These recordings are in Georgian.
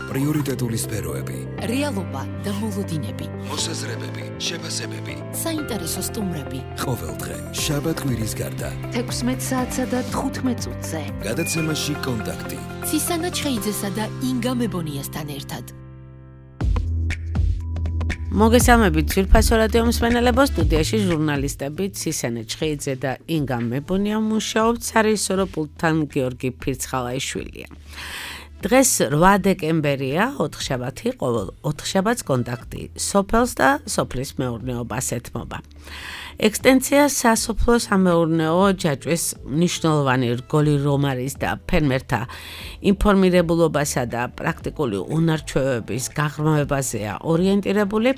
პრიორიტეტული სფეროები, რეალობა და მოლოდინები, მოსაზრებები, შეფასებები, საინტერესო სტუმრები. ყოველდღე შაბათ-კვირის გარდა 16 საათსა და 15 წუთზე. გადაცემაში კონტაქტი. ცისანა ჩხეიძესა და ინგა მებონიასთან ერთად. მოგესალმებით ძვირფასო რადიო მსმენელებო, სტუდიაში ჟურნალისტები ცისანა ჩხეიძე და ინგა მებონია მუშაობთ, სარეჟისორო პულტთან გიორგი ფირცხალაიშვილია. დღეს 8 დეკემბერია, 4 შაბათი, ყოველ 4 შაბათს კონტაქტი სოფელს და სოფლის მეურნეობას ეთმობა. ექსტენცია სასოფლო-სამეურნეო ჯაჭვის მნიშვნელოვანი რგოლი რომ არის და ფერმერთა ინფორმირებულობასა და პრაქტიკული უნარჩვევების გაღრმავებაზეა ორიენტირებული.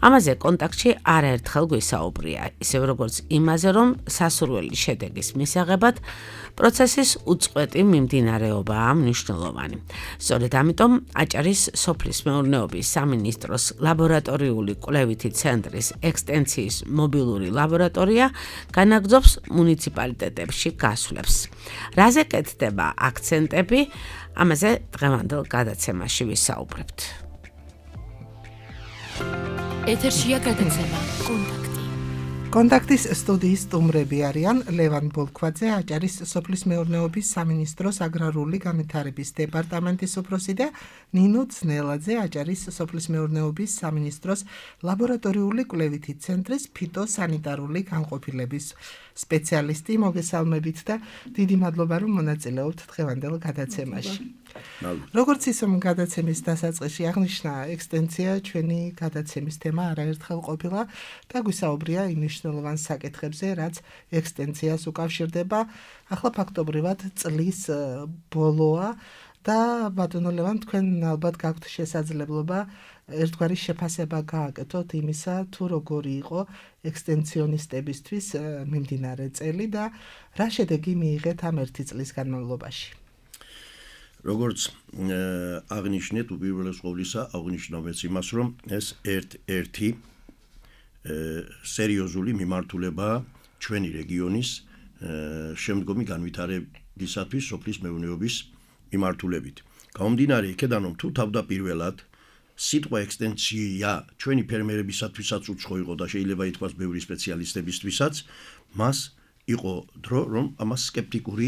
ამაზე კონტაქტში არაერთხელ გვისაუბრია, ისევ როგორც იმაზე, რომ სასურველი შედეგის მისაღებად პროცესის უწყვეტი მიმდინარეობაა მნიშვნელოვანი. სწორედ ამიტომ აჭარის სოფლის მეურნეობის სამინისტროს ლაბორატორიული კვლევითი ცენტრის ექსტენციის მობილური ლაბორატორია განაგრძობს მუნიციპალიტეტებში გასვლებს. რაზე კეთდება აქცენტები, ამაზე დღევანდელ გადაცემაში ვისაუბრებთ. ეთერშია გადაცემა კონტაქტი. კონტაქტის სტუდიის სტუმრები არიან ლევან ბოლქვაძე, აჭარის სოფლის მეურნეობის სამინისტროს აგრარული განვითარების დეპარტამენტის უფროსი და ნინო ძნელაძე, აჭარის სოფლის მეურნეობის სამინისტროს ლაბორატორიული კვლევითი ცენტრის ფიტოსანიტარული განყოფილების სპეციალისტი. მოგესალმებით და დიდი მადლობა, რომ მონაწილეობთ დღევანდელ გადაცემაში. როგორც ისე გადაცემის დასაწყისში აღნიშნა, ექსტენცია ჩვენი გადაცემის თემა არაერთხელ ყოფილა და გვისაუბრია იმ მნიშვნელოვან საკითხებზე, რაც ექსტენციას უკავშირდება. ახლა ფაქტობრივად წლის ბოლოა და ბატონო ლევან, თქვენ ალბათ გაქვთ შესაძლებლობა ერთგვარი შეფასება გააკეთოთ იმისა, თუ როგორი იყო ექსტენციონისტებისთვის მიმდინარე წელი და რა შედეგი მიიღეთ ამ ერთი წლის განმავლობაში. როგორც აღნიშნეთ, უპირველეს ყოვლისა აღნიშნავთ იმას, რომ ეს ერთ-ერთი სერიოზული მიმართულებაა ჩვენი რეგიონის შემდგომი განვითარებისათვის სოფლის მეურნეობის მიმართულებით. გამომდინარე იქედან, რომ თუ თავდაპირველად სიტყვა ექსტენცია ჩვენი ფერმერებისათვისაც უცხო იყო და შეიძლება ითქვას ბევრი სპეციალისტებისთვისაც, მას იყო დრო, რომ ამას სკეპტიკური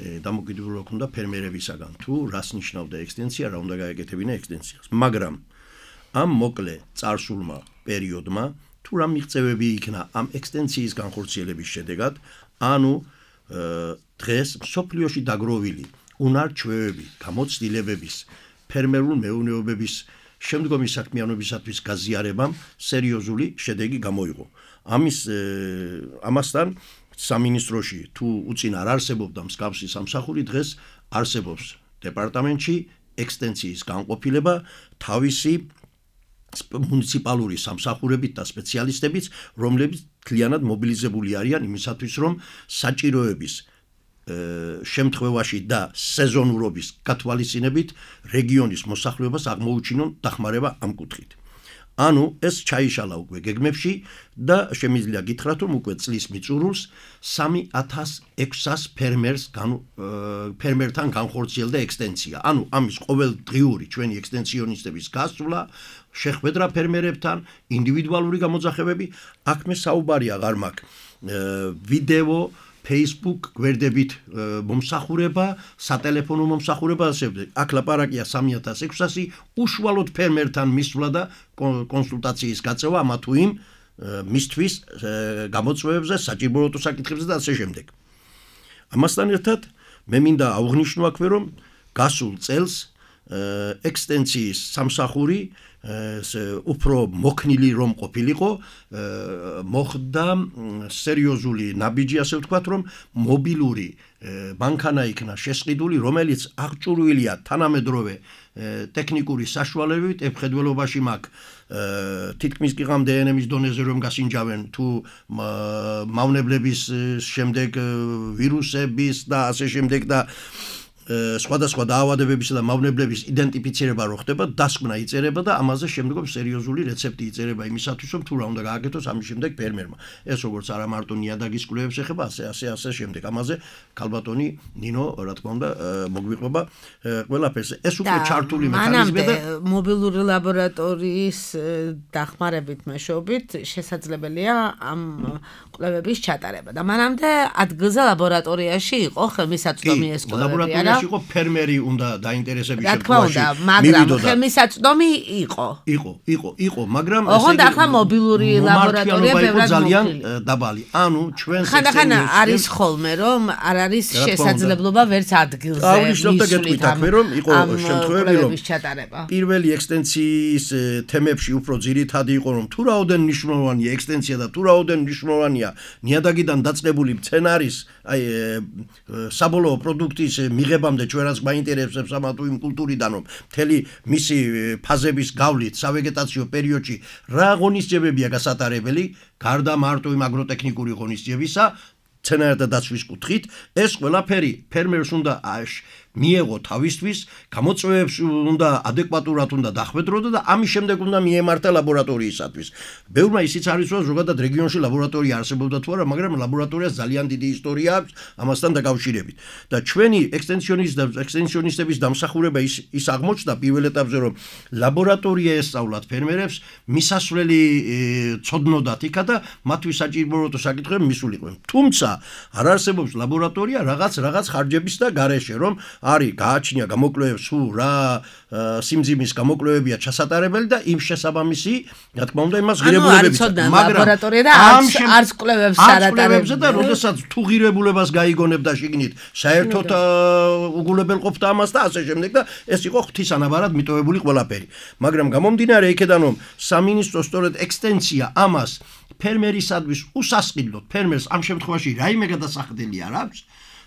დამოკიდებულება ჰქონდა ფერმერებისაგან, თუ რას ნიშნავდა ექსტენცია, რა უნდა გაეკეთებინა ექსტენციას. მაგრამ ამ მოკლე წარსულმა პერიოდმა თუ რა მიღწევები იქნა ამ ექსტენციის განხორციელების შედეგად, ანუ დღეს მსოფლიოში დაგროვილი უნარჩვევები, გამოცდილებების, ფერმერულ მეურნეობების შემდგომი საქმიანობისათვის გაზიარებამ სერიოზული შედეგი გამოიღო. ამასთან სამინისტროში თუ უწინ არ არსებობდა მსგავსი სამსახური, დღეს არსებობს დეპარტამენტში ექსტენციის განყოფილება თავისი მუნიციპალური სამსახურებით და სპეციალისტებით, რომლებიც მთლიანად მობილიზებული არიან იმისათვის, რომ საჭიროების შემთხვევაში და სეზონურობის გათვალისწინებით რეგიონის მოსახლეობას აღმოუჩინონ დახმარება ამ კუთხით. ანუ ეს ჩაიშალა უკვე გეგმებში და შემიძლია გითხრათ, რომ უკვე წლის მიწურულს 3600 ფერმერთან განხორციელდა ექსტენცია. ანუ ამის ყოველდღიური ჩვენი ექსტენციონისტების გასვლა, შეხვედრა ფერმერებთან, ინდივიდუალური გამოძახებები, აქ მე საუბარი აღარ მაქვს. ვიდეო, Facebook გვერდებით მომსახურება, სატელეფონო მომსახურება, აქ ლაპარაკია 3600 უშუალოდ ფერმერთან მისვლა და კონსულტაციის გაწევა ამა თუ იმ მისთვის გამოწვევებზე, საჭიროებო საკითხებზე და ასე შემდეგ. ამასთან ერთად მე მინდა აღვნიშნო აქვე, რომ გასულ წელს ექსტენციის სამსახური უფრო მოქნილი რომ ყოფილიყო, მოხდა სერიოზული ნაბიჯი, ასე ვთქვათ, რომ მობილური მანქანა იქნა შესყიდული, რომელიც აღჭურვილია თანამედროვე ტექნიკური საშუალებებით, ებხედველობაში მაქვს თითქმის გიგამ დნმ-ის დონეზე რომ გასინჯავენ თუ მავნებლების შემდეგ ვირუსების და ასე შემდეგ და სხვადასხვა დაავადებებისა და მავნებლების იდენტიფიცირება რო ხდება, დასკვნა იწერება და ამაზე შემდგომ სერიოზული რეცეპტი იწერება იმისათვის, რომ თუ რა უნდა გააკეთოს ამის შემდეგ ფერმერმა. ეს როგორც არა მარტო ნიადაგის კვლევებს ეხება, ასე შემდეგ. ამაზე ქალბატონი ნინო, რა თქმა უნდა, მოგვიყვება ყველაფერს. ეს უკვე ჩართული მექანიზმია და მობილური ლაბორატორიის დახმარებით მეშვეობით შესაძლებელია ამ კვლევების ჩატარება. და მანამდე ადგილზე ლაბორატორიაში იყო ხელმისაწვდომი ეს კვლევები, ლაბორატორიაში იყო ფერმერი უნდა დაინტერესების შემთხვევაში. რა თქმა უნდა, მაგრამ ხელმისაწვდომი იყო, მაგრამ ოღონდ ახლა მობილური ლაბორატორია ბევრად ძალიან დაბალი. ანუ ჩვენ ხანდახან არის ხოლმე რომ არ არის შესაძლებლობა ვერც ადგილზე აღნიშნავდა გეტყვით აქვე რომ იყო შემთხვევები რომ ჩატარება. პირველი ექსტენციის თემებში უფრო ძირითადი იყო რომ თუ რაოდენ მნიშვნელოვანია ექსტენცია და თუ რაოდენ მნიშვნელოვანია ნიადაგიდან დაწყებული მცენარის აი საბოლოო პროდუქტის მიღებამდე ჩვენ რაც გვაინტერესებს ამა თუ იმ კულტურიდან რომ მთელი მისი ფაზების გავლით სავეგეტაციო პერიოდში რა ღონისძიებებია გასატარებელი გარდა მარტო იმ აგროტექნიკური ღონისძიებისა მცენარეთა დაცვის კუთხით ეს ყველაფერი ფერმერს უნდა მიეღო თავისთვის, გამოწვევებს უნდა ადეკვატურად უნდა დახვედროდა და ამის შემდეგ უნდა მიემართა ლაბორატორიისათვის. ბევრმა ისიც არის რომ ზოგადად რეგიონში ლაბორატორია არსებობდა თუ არა, მაგრამ ლაბორატორიას ძალიან დიდი ისტორია აქვს ამასთან დაკავშირებით. და ჩვენი ექსტენსიონისტების დამსახურება ის აღმოჩნდა პირველ ეტაპზე რომ ლაბორატორია ესწავლათ ფერმერებს, მისასვლელი ცოდნოდათ იქა და მათთვის საჭირო საკითხები მისულიყვნენ. თუმცა არ არსებობს ლაბორატორია რაღაც ხარჯების და გარეშე რომ არის გააჩნია გამოკვლევებს თუ რა სიმძიმის გამოკვლევებია ჩასატარებელი და იმ შესაბამისი რა თქმა უნდა იმას ღირებულებებიც მაგრამ ლაბორატორია და არც კვლევებს არატარებს და როდესაც თუ ღირებულებას გაიგონებ და შიგნით საერთოდ უგულებელყოფდა ამას და ასე შემდეგ და ეს იყო ღვთისანაბარად მიტოვებული ყველაფერი მაგრამ გამომდინარე იქედან რომ სამინისტრო სწორედ ექსტენსია ამას ფერმერისადმის უსასყიდლოდ ფერმერს ამ შემთხვევაში რაიმე გადასახდელი არ აქვს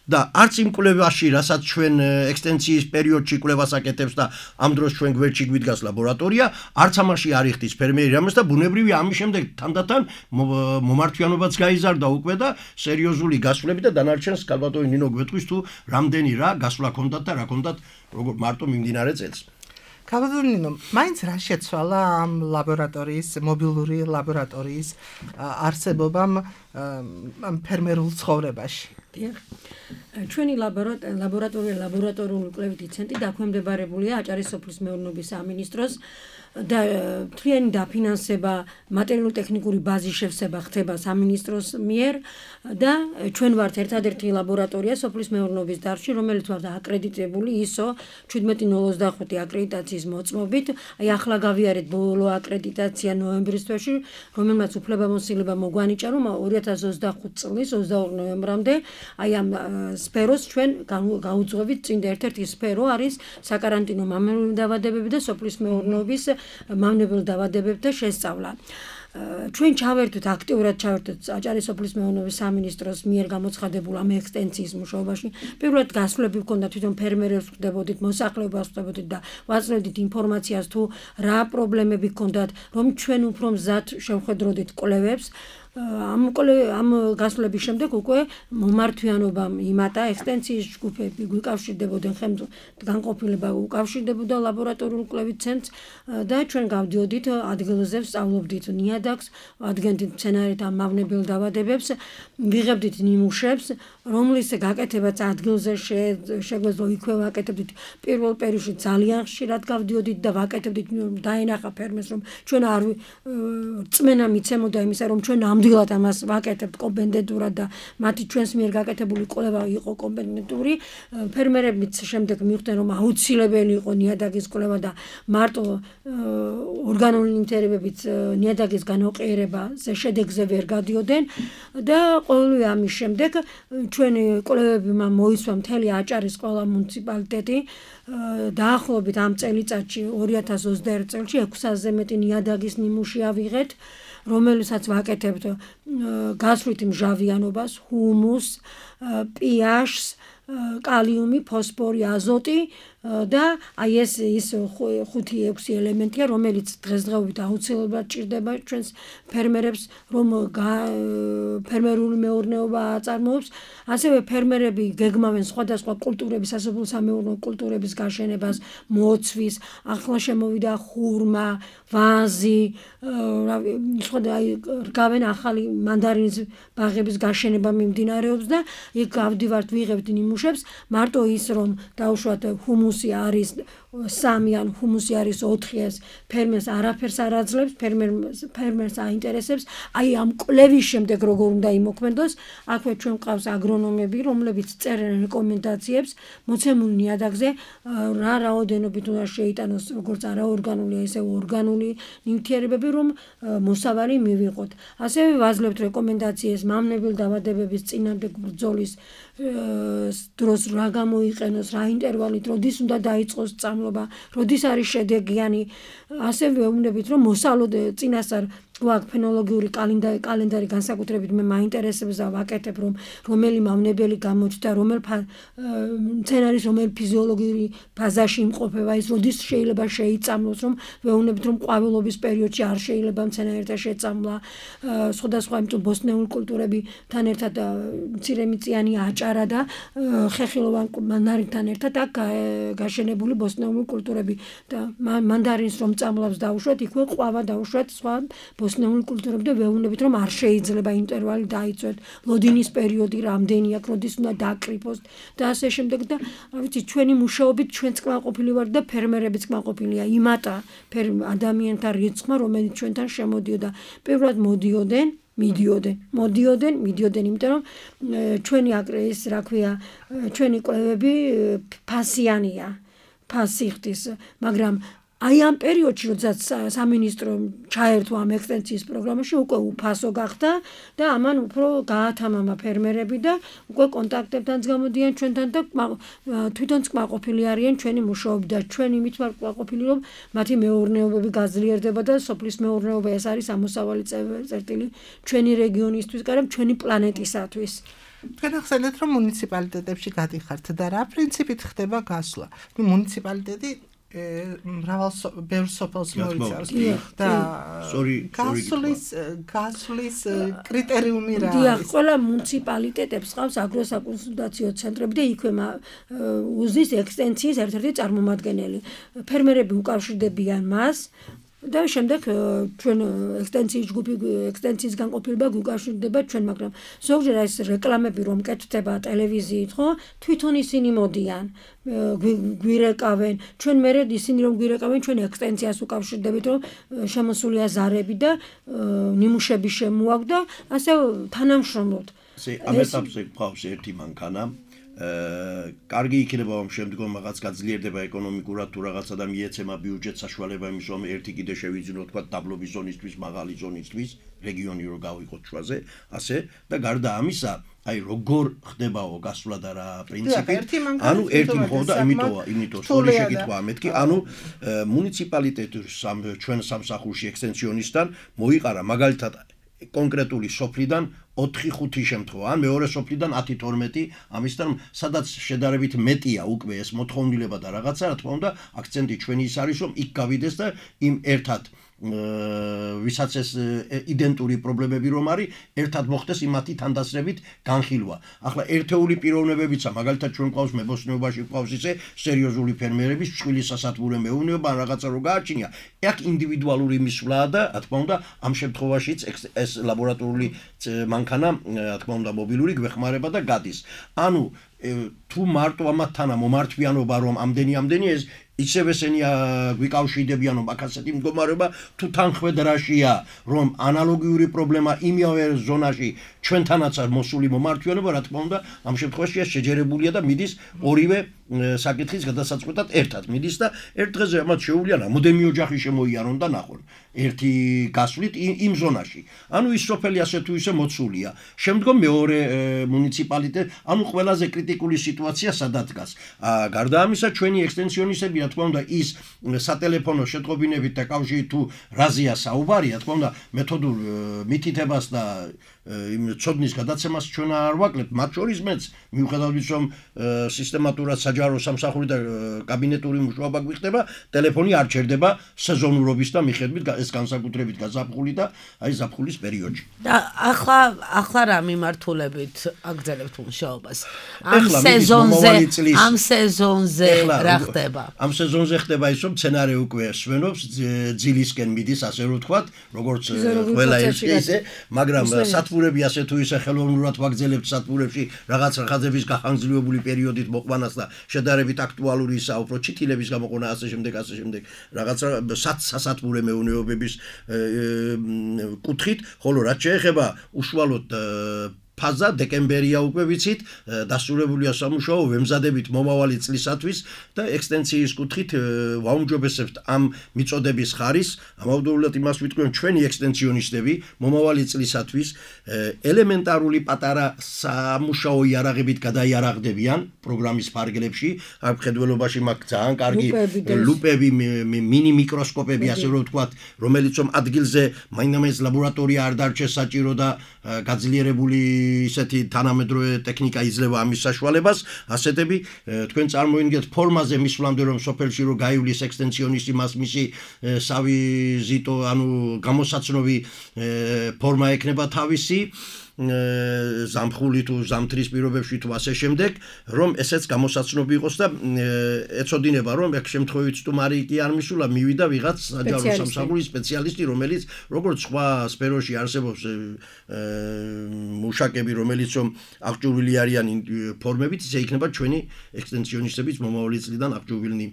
და არც იმ კვლევაში, რასაც ჩვენ ექსტენსიის პერიოდში კვლევას აკეთებს და ამ დროს ჩვენ გვერდში გვიდგას ლაბორატორია, არც ამაში არ იხდის ფერმერი რამეს და ბუნებრივია ამის შემდეგ თანდათან მომართვიანობაც გაიზარდა უკვე და სერიოზული გასვლები და დანარჩენს ქალბატონი ნინო გვეტყვის თუ რამდენი რა გასვლა ჰქონდათ და რა ჰქონდათ როგორ მარტო მიმდინარე წელს. ქალბატონი ნინო, მაინც რა შეცვალა ამ ლაბორატორიის, მობილური ლაბორატორიის არსებობამ ამ ფერმერულ ცხოვრებაში? ჩვენი ლაბორატორიული კვლევითი ცენტრი დაქვემდებარებულია აჭარის სოფლის მეურნეობის სამინისტროს და მთლიანი დაფინანსება, მატერიალურ-ტექნიკური ბაზის შევსება ხდება სამინისტროს მიერ და ჩვენ ვართ ერთადერთი ლაბორატორია სოფლის მეურნეობის დარგში, რომელიც ვართ აკრედიტებული ISO 1705 აკრედიტაციის მოწმობით. აი ახლა გავიარეთ ბოლო აკრედიტაცია ნოემბრის თვეში, რომელმაც უფლებამოსილება მოგვანიჭა, რომ 2025 წლის 22 ნოემბრამდე აი ამ სფეროს ჩვენ გაუძღვებით წინ და ერთ-ერთი სფერო არის საკარანტინო მავნებლური დაავადებები და სოფლის მეურნეობის მავნებელ დაავადებებთა შესწავლა. ჩვენ ჩავერთვით აქტიურად აჭარის სოფლის მეურნეობის სამინისტროს მიერ გამოცხადებულ ამ ექსტენსიის მუშაობაში. პირველად გასვლები ჰქონდა თვითონ ფერმერებს ხვდებოდით, მოსახლეობას ხვდებოდით და ვაწვდით ინფორმაციას თუ რა პრობლემები ჰქონდათ, რომ ჩვენ უფრო მზად შევხედროდით კვლევებს. ამ გასვლების შემდეგ უკვე მომართვიანობამ იმატა ექსტენსიის ჯგუფები გვიკავშირდებოდნენ განყოფილება უკავშირდებოდა ლაბორატორიულ კვლევით ცენტრს და ჩვენ გავდიოდით ადგილზე ვსწავლობდით ნიადაგს, ადგენდით მცენარეთა მავნებელ დაავადებებს, ვიღებდით ნიმუშებს, რომლის გაკეთებაც ადგილზე შეგვეძლო იქვე ვაკეთებდით პირველ პერიოდში ძალიან ხშირად გავდიოდით და ვაკეთებდით დაენახა ფერმერს რომ ჩვენ არ წმენა მიცემოდა იმისა რომ ჩვენ ამდღილად ამას ვაკეთებთ კომპეტენტურად და მათი ჩვენს მიერ გაკეთებული კვლევა იყო კომპეტენტური ფერმერებიც შემდეგ მიხვდნენ რომ აუცილებელი იყო ნიადაგის კვლევა და მარტო ორგანული ნივთიერებებით ნიადაგის განოყიერებაზე შედეგზე ვერ გადიოდნენ და ყოველივე ამის შემდეგ ჩვენი კვლევები მოისვა მთელი აჭარის ყველა მუნიციპალიტეტი დაახლოებით ამ წელიწადში 2021 წელში 600-ზე მეტი ნიადაგის ნიმუში ავიღეთ რომელსაც ვაკეთებთ გასვლით მჟავიანობას, ჰუმუსს, pH-ს კალიუმი, ფოსფორი, აზოტი და აი ეს ის 5-6 ელემენტია, რომელიც დღესდღეობით აუცილებლად ჭირდება ჩვენს ფერმერებს, რომ ფერმერული მეურნეობა აწარმოებს. ასევე ფერმერები გეგმავენ სხვადასხვა კულტურების, სასოფლო-სამეურნეო კულტურების გაშენებას, მოცვის, ახლა შემოვიდა ხურმა, ვაზი, რგავენ ახალი მანდარინის ბაღების გაშენება მიმდინარეობს და იქ გავდივართ, ვიღებთ ნიმუშებს, მარტო ის რომ დაუშვათ ჰუმუსი არის 3 ან ჰუმუსი არის 4, ეს ფერმერს არაფერს არ აძლევს, ფერმერს აინტერესებს, აი ამ კვლევის შემდეგ როგორ უნდა იმოქმედოს. აქვე ჩვენ ყავს აგრონომები, რომლებიც წერენ რეკომენდაციებს მოცემულ ნიადაგზე, რა რაოდენობით უნდა შეიტანოს როგორც არაორგანული, ესე ორგანული ნივთიერებები, რომ მოსავალი მივიღოთ. ასევე ვაძლევთ რეკომენდაციებს მამნებელ დავადებების წინააღმდეგ ბრძოლის დროს რა გამოიყენოს, რა ინტერვალით, როდის უნდა დაიწყოს სწავლობა, როდის არის შედეგიანი. ასევე ვეუბნებით, რომ მოსავლოდ წინასწარ გვაქვს ფენოლოგიური კალენდარი განსაკუთრებით მე მაინტერესებს და ვაკეთებ, რომ რომელი მავნებელი გამოჩნდა, რომელ მცენარის რომელ ფიზიოლოგიური ფაზაში იმყოფება, ის როდის შეიძლება შეიწამლოს, რომ ვეუბნებით, რომ ყვავილობის პერიოდში არ შეიძლება მცენარეთა შეწამლა, სხვადასხვა ბოსტნეული კულტურებთან ერთად მცირემიწიანი აჭარა და ხეხილოვან მანდარინთან ერთად აქ გაშენებული ბოსტნეული კულტურები და მანდარინს რომ წამლავს დაუშვათ, იქვე ყვავა დაუშვათ, სხვა ბოსტნეული კულტურები და ვეუბნებით, რომ არ შეიძლება ინტერვალი დაიწვეთ, ლოდინის პერიოდი რამდენი აქვს, როდის უნდა დაკრიფოს და ასე შემდეგ და ვიცი, ჩვენი მუშაობით ჩვენც კმაყოფილი ვართ და ფერმერებიც კმაყოფილია იმატა ადამიანთა რიცხვმა, რომელიც ჩვენთან შემოდიოდა. პირველად მიდიოდნენ, იმიტომ რომ ჩვენი აკრეის, რა ქვია, ჩვენი კვლევები ფასიანია, ფასი ხდის, მაგრამ აი ამ პერიოდში, როდესაც სამინისტრო ჩაერთო ამ ექსტენსიის პროგრამაში, უკვე უფასო გახდა და ამან უფრო გაათამამა ფერმერები და უკვე კონტაქტებთან გამოდიან ჩვენთან და თვითონც კმაყოფილი არიან ჩვენი მუშაობით და ჩვენ იმით ვართ კმაყოფილი, რომ მათი მეურნეობები გაძლიერდება და სოფლის მეურნეობა ეს არის ამოსავალი წერტილი ჩვენი რეგიონისთვის, მაგრამ ჩვენი პლანეტისათვის. თქვენ ახსენეთ, რომ მუნიციპალიტეტებში გადიხართ და რა პრინციპით ხდება გასვლა? მუნიციპალიტეტი ბევრ სოფელს მოიცავს და გასვლის კრიტერიუმი რა არის? ყველა მუნიციპალიტეტებს ყავს აგროსაკონსულტაციო ცენტრები და იქვე უზის ექსტენსიის ერთ-ერთი წარმომადგენელი. ფერმერები უკავშირდებიან მას და შემდეგ ჩვენ ექსტენსიის განყოფილება გუკავშირდება ჩვენ, მაგრამ ზოგჯერ ეს რეკლამები რომ კეთდება ტელევიზიით, ხო, თვითონ ისინი მოდიან, გვირეკავენ, ჩვენ მერე ისინი რომ გვირეკავენ, ჩვენ ექსტენსიას უკავშირდებით, რომ შემოსულია ზარები და ნიმუშები შემოაქვს და ასე თანამშრომლობთ. ამ ეტაპზე გვყავს ერთი მანქანა. კარგი იქნება რომ შემდგომ რაღაც გაძლიერდება ეკონომიკურად თუ რაღაცა და მიეცემა ბიუჯეტ საშუალება იმის რომ ერთი კიდე შევიძინოთ თქვა დაბლობის ზონისთვის, მაღალი ზონისთვის, რეგიონი რო გავიყოთ ჩვაზე, ასე და გარდა ამისა, აი როგორ ხდებაო გასვლა და რა პრინციპი? ანუ ერთი მხოლოდ იმიტომ სწორი შეკითხვა მეთქი, ანუ მუნიციპალიტეტის ჩვენ სამსახურში ექსტენსიონისტთან მოიყარა მაგალითად კონკრეტული სოფლიდან 4-5 შემთხვევა, ან მეორე სოფლიდან 10-12, ამისთან სადაც შედარებით მეტია უკვე ეს მოთხოვნილება და რაღაცა, რა თქმა უნდა, აქცენტი ჩვენი ის არის, რომ იქ გავიდეს და იმ ერთად ვისაც ეს იდენტური პრობლემები რომ არის, ერთად მოხდეს იმათი თანდასრებით განხილვა. ახლა ერთეული პიროვნებებიცა, მაგალითად ჩვენ ყავს მებოსტნეობაში ყავს ისე სერიოზული ფერმერების წვილი სასათბურე მეურნეობა ან რაღაცა რო გააჩნია. აქ ინდივიდუალური მისვლაა და რა თქმა უნდა, ამ შემთხვევაშიც ეს ლაბორატორიული მანქანა, რა თქმა უნდა, მობილური გვეხმარება და გადის. ანუ თუ მარტო ამათთანა მომართვიანობა რომ ამდენი ეს ისევ ესენი გვიკავშირდებიან რომ აქ ასეთი მდგომარეობა თუ თანხმედრაშია რომ ანალოგიური პრობლემა იმავე ზონაში ჩვენთანაც არ მოსული მომართვიანობა, რა თქმა უნდა, ამ შემთხვევაში შეჯერებულია და მიდის ორივე საკითხის გადასაწყვეტად ერთად მიდის და ერთ დღეზე ამათ შეუძლია რამოდენიმე ოჯახი შემოიარონ და ნახონ ერთი გასვლით იმ ზონაში. ანუ ის სოფელი ასე თუ ისე მოცულია. შემდგომ მეორე მუნიციპალიტეტი, ანუ ყველაზე კრიტიკული სიტუაცია სადაც დგას. გარდა ამისა, ჩვენი ექსტენსიონისტები, რა თქმა უნდა, ის სატელეფონო შეტყობინებით და კავშირით თუ რაზეა საუბარი, რა თქმა უნდა, მეთოდურ მითითებას და იმ ცოდნის გადაცემას ჩვენ არ ვაკლებთ, მათ შორის მეც მიუხედავად ის რომ სისტემატურად საჯარო სამსახური და კაბინეტური მუშაობა გვიხდება, ტელეფონი არ ჩერდება სეზონურობის და მიხედვით ეს განსაკუთრებით გაზაფხული და აი ზაფხულის პერიოდში. და ახლა რა მიმართულებით აგრძელებთ მუშაობას? ამ სეზონზე რა ხდება? ამ სეზონზე ხდება ის რომ სცენარი უკვე სვენობს, ძილისკენ მიდის, ასე რომ ვთქვათ, როგორც ყველა ერთი ისე, მაგრამ სათბურები ასე თუ ისე ხელოვნურად ვაგრძელებთ სათბურებში რაღაც ხაზების გახანგრძლივებული პერიოდით მოყვანას და შედარებით აქტუალური ისა უფრო ჩითილების გამოყვანა ასე შემდეგ რაღაც სასათბურე მეურნეობების კუთხით, ხოლო რაც შეეხება უშუალოდ ფაზა დეკემბერია უკვე ვიცით, დასრულებულია სამუშაო, ვემზადებით მომავალი წლისათვის და ექსტენსიის კუთხით ვაუმჯობესებთ ამ მიწოდების ხარისს, ამავდროულად იმას ვიტყვი, რომ ჩვენი ექსტენსიონისტები მომავალი წლისათვის ელემენტარული პატარა სამუშაო იარაღებით გადაიარაღდებიან პროგრამის ფარგლებში, აქ მხედველობაში მაქვს ძალიან კარგი ლუპები, მინი მიკროსკოპები, ასე რომ ვთქვათ, რომელიც რომ ადგილზე მაინც ლაბორატორია არ დარჩეს საჭირო და გაძლიერებული ისეთი თანამედროვე ტექნიკა იძლევა ამის საშუალებას, ასეთები თქვენ წარმოიდგინეთ ფორმაზე მისვლამდე რომ სოფელში რო გაივლის ექსტენსიონისტი მას მისი სავიზიტო, ანუ გამოსაცნობი ფორმა ექნება თავისი ზამთრული თუ ზამთრის პირობებში თუ ასე შემდეგ, რომ ესეც გამოსაცნობი იყოს და ეცოდინება რომ ეგ შემთხვევით სტუმარი კი არ მისულა, მივიდა ვიღაც საჯარო სამსახურის სპეციალისტი, რომელიც როგორც სხვა სფეროში არსებობს მუშაკები, რომელიც რომ აღჭურვილი არიან ფორმებით, ისე იქნება ჩვენი ექსტენსიონისტების მომავალი წლიდან აღჭურვილნი.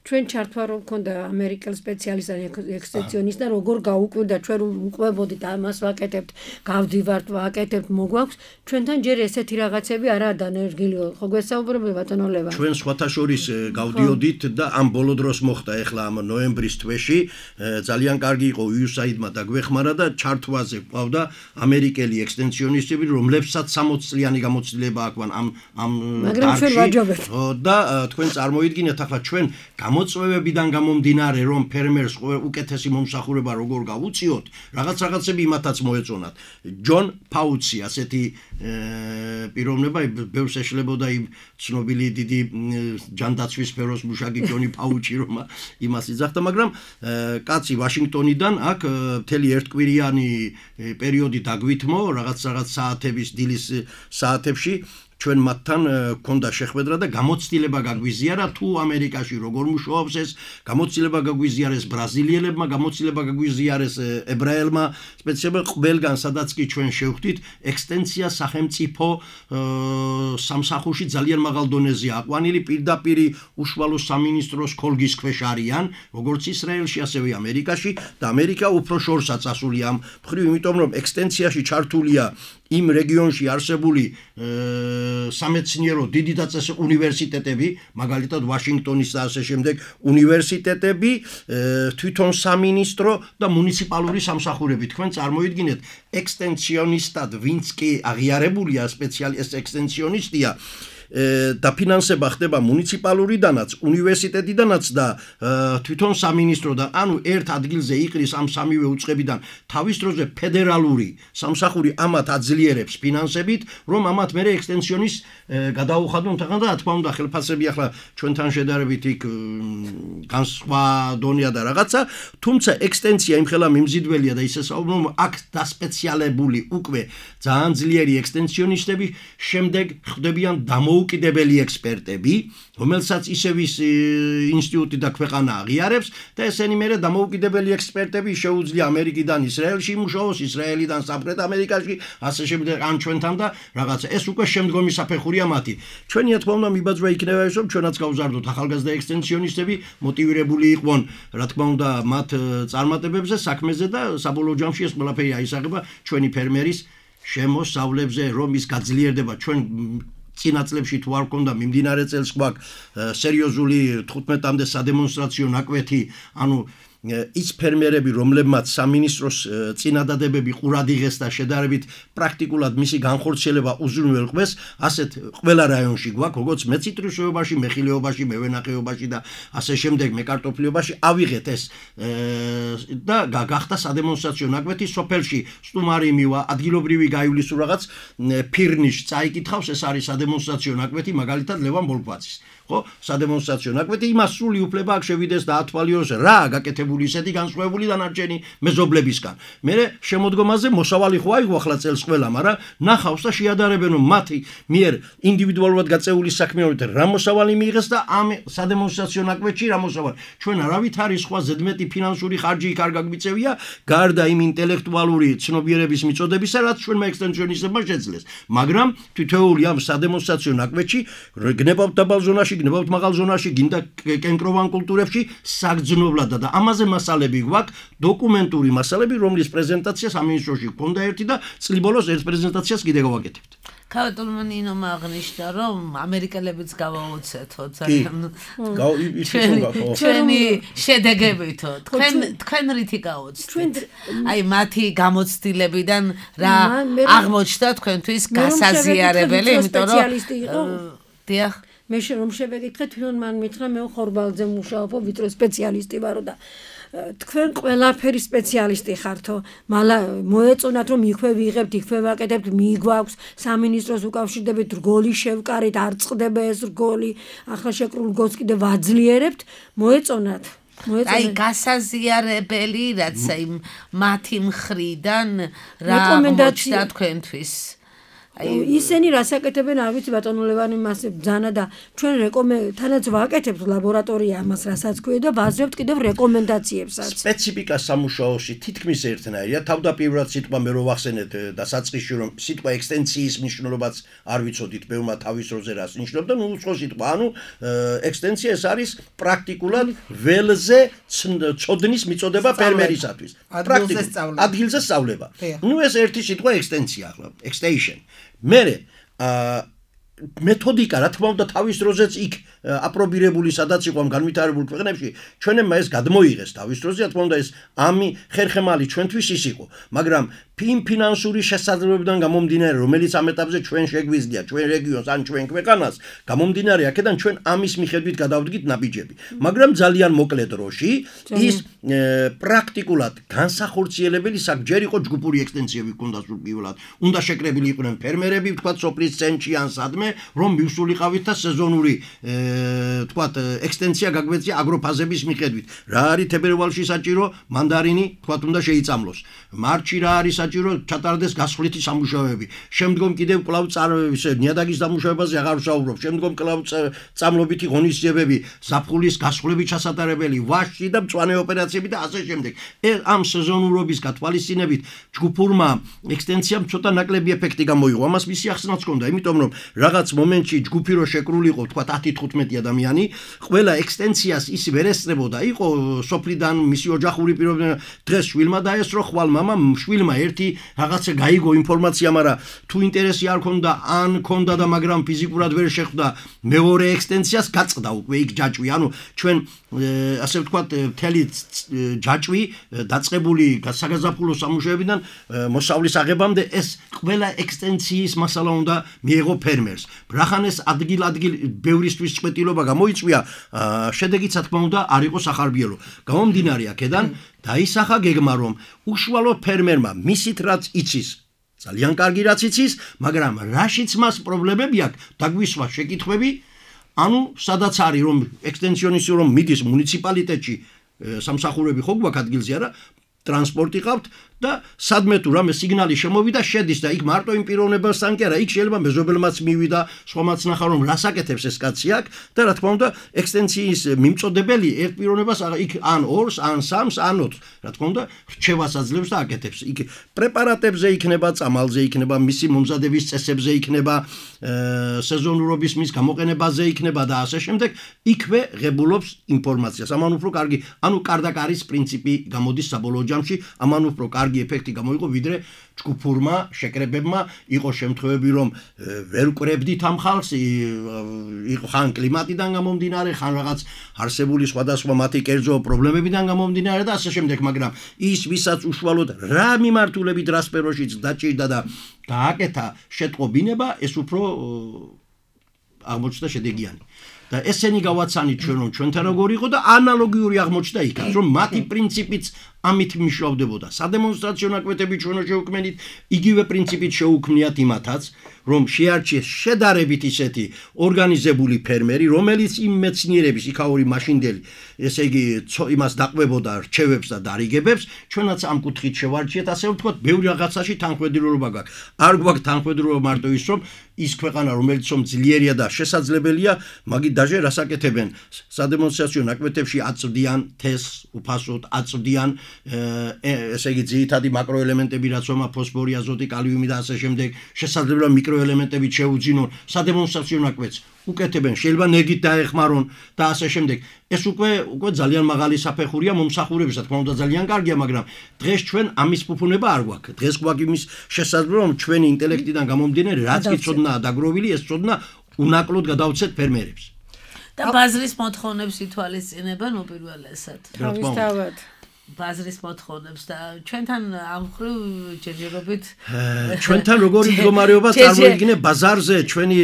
ჩვენ ჩართვა რომ ქონდა ამერიკელ სპეციალისტთან ექსტენსიონისტთან, როგორ გაუკვირდა ჩვენ რომ უყვებოდით ამას ვაკეთებთ, გავდივართ, ვაკეთებთ, მოგვაქვს, ჩვენთან ჯერ ესეთი რაღაცები არაა დანერგილი, ხო გვესაუბრებთ ბატონო ლევან? ჩვენ სხვათა შორის გავდიოდით და ამ ბოლო დროს მოხდა ეხლა ამ ნოემბრის თვეში, ძალიან კარგი იყო USAID-მა დაგვეხმარა და ჩართვაზე ყავდა ამერიკელი ექსტენსიონისტები, რომლებსაც 60 წლიანი გამოცდილება აქვთ ამ დარგში. და თქვენ წარმოიდგინეთ ახლა ჩვენ გამოწვევებიდან გამომდინარე რომ ფერმერს უკეთესი მომსახურება როგორ გავუწიოთ, რაღაცები იმათაც მოეწონათ. ჯონ ფაუცი ასეთი პიროვნება, ბევრს ეშლებოდა იმ ცნობილი დიდი ჯანდაცვის სფეროს მუშაკი ჯონი ფაუჩი, რომ იმას იძახდა, მაგრამ კაცი ვაშინგტონიდან აქ მთელი ერთკვირიანი პერიოდი დაგვითმო, რაღაც საათების დილის საათებში ჩვენ მათთან ქონდა შეხვედრა და გამოცდილება გაგვიზიარა თუ ამერიკაში როგორ მუშაობს ეს, გამოცდილება გაგვიზიარეს ბრაზილიელებმა, გამოცდილება გაგვიზიარეს ებრაელმა, სპეციალურად ყველგან სადაც კი ჩვენ შევხვდით, ექსტენსია სახელმწიფო სამსახურში ძალიან მაღალ დონეზე აყვანილი, პირდაპირ უშუალო სამინისტროს ქოლგის ქვეშ არიან, როგორც ისრაელში, ასევე ამერიკაში და ამერიკა უფრო შორსაც ასულია ამ მხრივ, იმიტომ რომ ექსტენსიაში ჩართულია იმ რეგიონში არსებული სამეცნიერო დიდი დაწესებული უნივერსიტეტები, მაგალითად ვაშინგტონის და ასე შემდეგ უნივერსიტეტები, თვითონ სამინისტრო და მუნიციპალური სამსახურები. თქვენ წარმოიდგინეთ, ექსტენსიონისტად ვინც კი აღიარებულია სპეციალისტ ექსტენსიონისტია, დაფინანსება ხდება მუნიციპალურიდანაც, უნივერსიტეტიდანაც და თვითონ სამინისტროდან, ანუ ერთ ადგილზე იყრის ამ სამივე უწყებიდან თავის დროზე ფედერალური სამსახური ამათ აძლიერებს ფინანსებით, რომ ამათ მერე ექსტენსიონის გადაუხადონ თაღან და რა თქმა უნდა ხელფასები ახლა ჩვენთან შედარებით იქ განსხვა დონეა და რაღაცა, თუმცა ექსტენსია იმხელა მიმზიდველია და ისე საუბრობ, აქ დასპეციალებული უკვე ძალიან ძლიერი ექსტენსიონისტები, შემდეგ ხდებიან დამოუკიდებელი ექსპერტები, რომელსაც ისევ ის ინსტიტუტი და ქვეყანა აღიარებს და ესენი მერე დამოუკიდებელი ექსპერტები შეუძლია ამერიკიდან ისრაელში იმუშაოს, ისრაელიდან სამხრეთ ამერიკაში, ასე შემდეგ ან ჩვენთან და რაღაცა. ეს უკვე შემდგომი საფეხურია მათი. ჩვენი რა თქმა უნდა მიბაძვა იქნება ის, რომ ჩვენაც გავზარდოთ ახალგაზრდა ექსტენსიონისტები, მოტივირებული იყვნენ, რა თქმა უნდა, მათ წარმატებებზე, საქმეზე და საბოლოო ჯამში ეს ყველაფერი აისახება ჩვენი ფერმერის შემოსავლებზე, რომ ის გაძლიერდება. ჩვენ წინა წლებში თუ არ გქონდა მიმდინარე წელს გვაქვს სერიოზული 15-მდე სადემონსტრაციო ნაკვეთი, ანუ ის ფერმერები, რომლებმაც სამინისტროს წინადადებები ყურად იღეს და შედარებით პრაქტიკულად მისი განხორციელება უზრუნველყვეს, ასეთ ყველა რაიონში გვაქვს, როგორც მეციტრუსეობაში, მეხილეობაში, მევენახეობაში და ასე შემდეგ, მეკარტოფილებაში ავიღეთ ეს და გახდა სადემონსტრაციო ნაკვეთი სოფელში სტუმარი მივა, ადგილობრივი გაივლის თუ რაღაც ფირნიშ წაიკითხავს, ეს არის სადემონსტრაციო ნაკვეთი მაგალითად ლევან ბოლქვაძის. ხო, სადემონსტრაციო ნაკვეთი იმას სრული უფლება აქვს შევიდეს და ათვალიოს რა გაკეთებული ისეთი განსხვავებული დანარჩენი მეზობლებისგან. მე შემოდგომაზე მოსავალი ხო აიღო ახლა წელს ყველა, მაგრამ ნახავს და შეადარებენ რომ მათი მიერ ინდივიდუალურად გაწეული საქმიანობით რა მოსავალი მიიღეს და ამ სადემონსტრაციო ნაკვეთში რა მოსავალი. ჩვენ არავით არის სხვა ზედმეტი ფინანსური ხარჯი იქ არ გაგვიწევია, გარდა იმ ინტელექტუალური ცნობიერების მიწოდებისა, რაც ჩვენმა ექსტენსიონისტებმა შეძლეს. მაგრამ თითოეული ამ სადემონსტრაციო ნაკვეთში გნებავთ დაბალ ზონაში, გნებავთ მაღალ ზონაში, გინდა კენკროვან კულტურებში საგრძნობლად და ამაზე მასალები გვაქვს, დოკუმენტური მასალები, რომლის პრეზენტაცია სამინისტროში გქონდა ერთი და წლის ბოლოს ერთ პრეზენტაციას კიდე გავაკეთებთ. ქალბატონმა ნინომ აღნიშნა, რომ ამერიკელებიც გავაუცეთო ძალიან ჩვენი შედეგებითო. თქვენ რითი გაუცდით? აი მათი გამოცდილებიდან რა აღმოჩნდა თქვენთვის გასაზიარებელი, იმიტომ რომ დიახ მე რომ შევეკითხე თვითონ მან მითხრა მე ხორბალზე მუშაობ, ვიწრო სპეციალისტი ვარო და თქვენ ყველაფერი სპეციალისტი ხართო, მალა მოეწონათ რომ იქვე ვიღებთ, იქვე ვაკეთებთ, მიგვაქვს სამინისტროს უკავშირდებით რგოლი შევკარით, არ წყდება ეს რგოლი, ახლა შეკრულ რგოლს კიდე ვაძლიერებთ, მოეწონათ. აი გასაზიარებელი რაც აი მათი მხრიდან რა რეკომენდაცია თქვენთვის. ისინი რასაკეთებენ არ ვიცი ბატონო ლევანი მასე ბძანა და ჩვენ თანაც ვაკეთებთ ლაბორატორია ამას რასაც ქვია და ვაზრებთ კიდევ რეკომენდაციებსაც. სპეციფიკა სამუშაოში თითქმის ერთნაირია. თავდაპირველად სიტყვა მე რო ვახსენეთ და საწყისში რომ სიტყვა ექსტენსიის მნიშვნელობაც არ ვიცოდით, ბევრმა თავის როზე რას ნიშნობდა, ნუ უცხო სიტყვა. ანუ ექსტენსია ეს არის პრაქტიკულად ველზე წოდნის მიწოდება ფერმერისათვის. ადგილზე სწავლება. ნუ ეს ერთი სიტყვა ექსტენსია ახლა, extension. მერე მეთოდიკა რა თქმა უნდა თავის დროზეც იქ აპრობირებული სადაც იყო ამ განვითარებულ ქვეყნებში ჩვენებმა ეს გადმოიღეს თავის დროზე რა თქმა უნდა ეს ამი ხერხემალი ჩვენთვის ის იყო მაგრამ ფინანსური შესაძლებლობიდან გამომდინარე რომელიც ამ ეტაპზე ჩვენ შეგვიძლია ჩვენ რეგიონს ან ჩვენ ქვეყანას გამომდინარე აქედან ჩვენ ამის მიხედვით გადავდგით ნაბიჯები მაგრამ ძალიან მოკლე დროში ის პრაქტიკულად განსახორციელებელი საკჯერ იყო ჯგუფური ექსტენსიები ჰქონდა სულ პირველად უნდა შეკრებილი იყვნენ ფერმერები თქვა სოფლის ცენტრში ან სადმე რომ მივსულიყავით და სეზონური თქვათ ექსტენსია გაგვეცია აგროფაზების მიხედვით რა არის თებერვალში საჭირო მანდარინი თქვათ უნდა შეიწამლოს მარტში რა არის საჭირო ჩატარდეს გასხლითი სამუშაოები შემდგომ კიდევ კვლავ ნიადაგის დამუშავებაზე აღარ ვსაუბრობ შემდგომ კვლავ წამლობითი ღონისძიებები ზაფხულის გასხლები ჩასატარებელი ვაშში და მწვანე ოპერაციები და ასე შემდეგ ამ სეზონურობის გათვალისწინებით ჯგუფურმა ექსტენსიამ ცოტა ნაკლები ეფექტი გამოიღო ამას მისი ახსნაც ჰქონდა იმიტომ რომ რაღაც მომენტში ჯგუფი რო შეკრულიყო თქვა 10-15 ადამიანი ყველა ექსტენსიას ის ვერ ესწრებოდა იყო სოფლიდან მისი ოჯახური პირობიდან დღეს შვილმა დაესწრო ხვალ მამამ შვილმა ერთი რაღაცა გაიგო ინფორმაცია მაგრამ თუ ინტერესი არ ქონდა ან ქონდა და მაგრამ ფიზიკურად ვერ შეხვდა მეორე ექსტენსიას გაწყდა უკვე იქ ჯაჭვი ანუ ჩვენ ასე ვთქვათ მთელი ჯაჭვი დაწყებული საგაზაფხულო სამუშაოებიდან მოსავლის აღებამდე ეს ყველა ექსტენსიის მასალა უნდა მიეღო ფერმერს ბრახანეს ადგილ ბევრისთვის წვეტილობა გამოიწვია შედეგიც რა თქმა უნდა არ იყო სახარბიელო გამომდინარე აქედან დაისახა გეგმა რომ უშუალო ფერმერმა მისით რაც იცის ძალიან კარგი რაც იცის მაგრამ რაშიც მას პრობლემები აქვს დაგვისვა შეკითხვები ანუ სადაც არის რომ ექსტენსიონისტი რომ მიდის მუნიციპალიტეტში სამსახურები ხო გვაქვს ადგილზე არა ტრანსპორტი ყავთ და სადმე თუ რამე სიგნალი შემოვიდა შედის და იქ მარტო იმ პიროვნებასთან კი არა იქ შეიძლება მეზობელმაც მივიდა სხვამაც ნახა რომ რას აკეთებს ეს კაცი აქ და რა თქმა უნდა ექსტენსიის მიმწოდებელი ერთ პიროვნებას იქ ან 2-ს ან 3-ს ან 4-ს რა თქმა უნდა რჩევას აძლევს და აკეთებს იქ პრეპარატებზე იქნება წამალზე იქნება მისი მომზადების წესებზე იქნება სეზონურობის მის გამოყენებაზე იქნება და ასე შემდეგ იქვე ღებულობს ინფორმაციას ამან უფრო კარგი ანუ კარდაკარის პრინციპი გამოდის საბოლოო ჯამში ამან უფრო კარგი კარგი ეფექტი გამოიღო, ვიდრე ჯგუფურმა შეკრებებმა. იყო შემთხვევები, რომ ვერ ვკრებდით ამ ხალხს, იყო ხან კლიმატიდან გამომდინარე, ხან რაღაც არსებული სხვადასხვა მათი კერძო პრობლემებიდან გამომდინარე და ასე შემდეგ, მაგრამ ის ვისაც უშუალოდ რა მიმართულებით რა სფეროშიც დაჭირდა და გააკეთა შეტყობინება, ეს უფრო აღმოჩნდა შედეგიანი. და ესენი გავაცანით ჩვენ რომ ჩვენთან როგორ იყო და ანალოგიური აღმოჩნდა იქაც, რომ მათი პრინციპიც ამით მიშოვდებოდა. სადემონსტრაციო ნაკვეთები ჩვენო შეუქმნით, იგივე პრინციპით შეუქმნიათ იმათაც, რომ შეარჩიეს შედარებით ისეთი ორგანიზებული ფერმერი, რომელიც იმ მეცნიერების იქაური მაშინდელი, ესე იგი იმას დაყვებოდა რჩევებს და დარიგებებს, ჩვენაც ამ კუთხით შევარჩიეთ, ასე ვთქვათ, ბევრი რაღაცაში თანხმედრილობა გაქვს. არ გვაქვს თანხმედრილობა მარტო ის, რომ ის ქვეყანა, რომელიც ძლიერია და შესაძლებელია, მაგით დაჟე რას აკეთებენ? სადემონსტრაციო ნაკვეთებში აწვდიან თესლს, უფასოდ აწვდიან ესე იგი ძირითადი მაკროელემენტები, რაც ომა ფოსფორი, აზოტი, კალიუმი და ასე შემდეგ, შესაძლებელი მიკროელემენტები შეუძინონ სადემონსტრაციო ნაკვეთს. უკეთებენ, შეიძლება ნეგით დაეხმარონ და ასე შემდეგ. ეს უკვე ძალიან მაღალი საფეხურია მომსახურების, რა თქმა უნდა ძალიან კარგია, მაგრამ დღეს ჩვენ ამის ფუფუნება არ გვაქვს. დღეს გვაქვს იმის შესაძლებლობა, რომ ჩვენი ინტელექტიდან გამომდინარე, რაც კი ცოდნაა დაგროვილი, ეს ცოდნა უნაკლოდ გადავცეთ ფერმერებს. და ბაზრის მოთხოვნებს ითვალისწინებენ უპირველესად. თავისთავად. ბაზრის მოთხოვნებს და ჩვენთან ამ ხრივ ჯერჯერობით ჩვენთან როგორი მდგომარეობა წარმოიდგინე ბაზარზე ჩვენი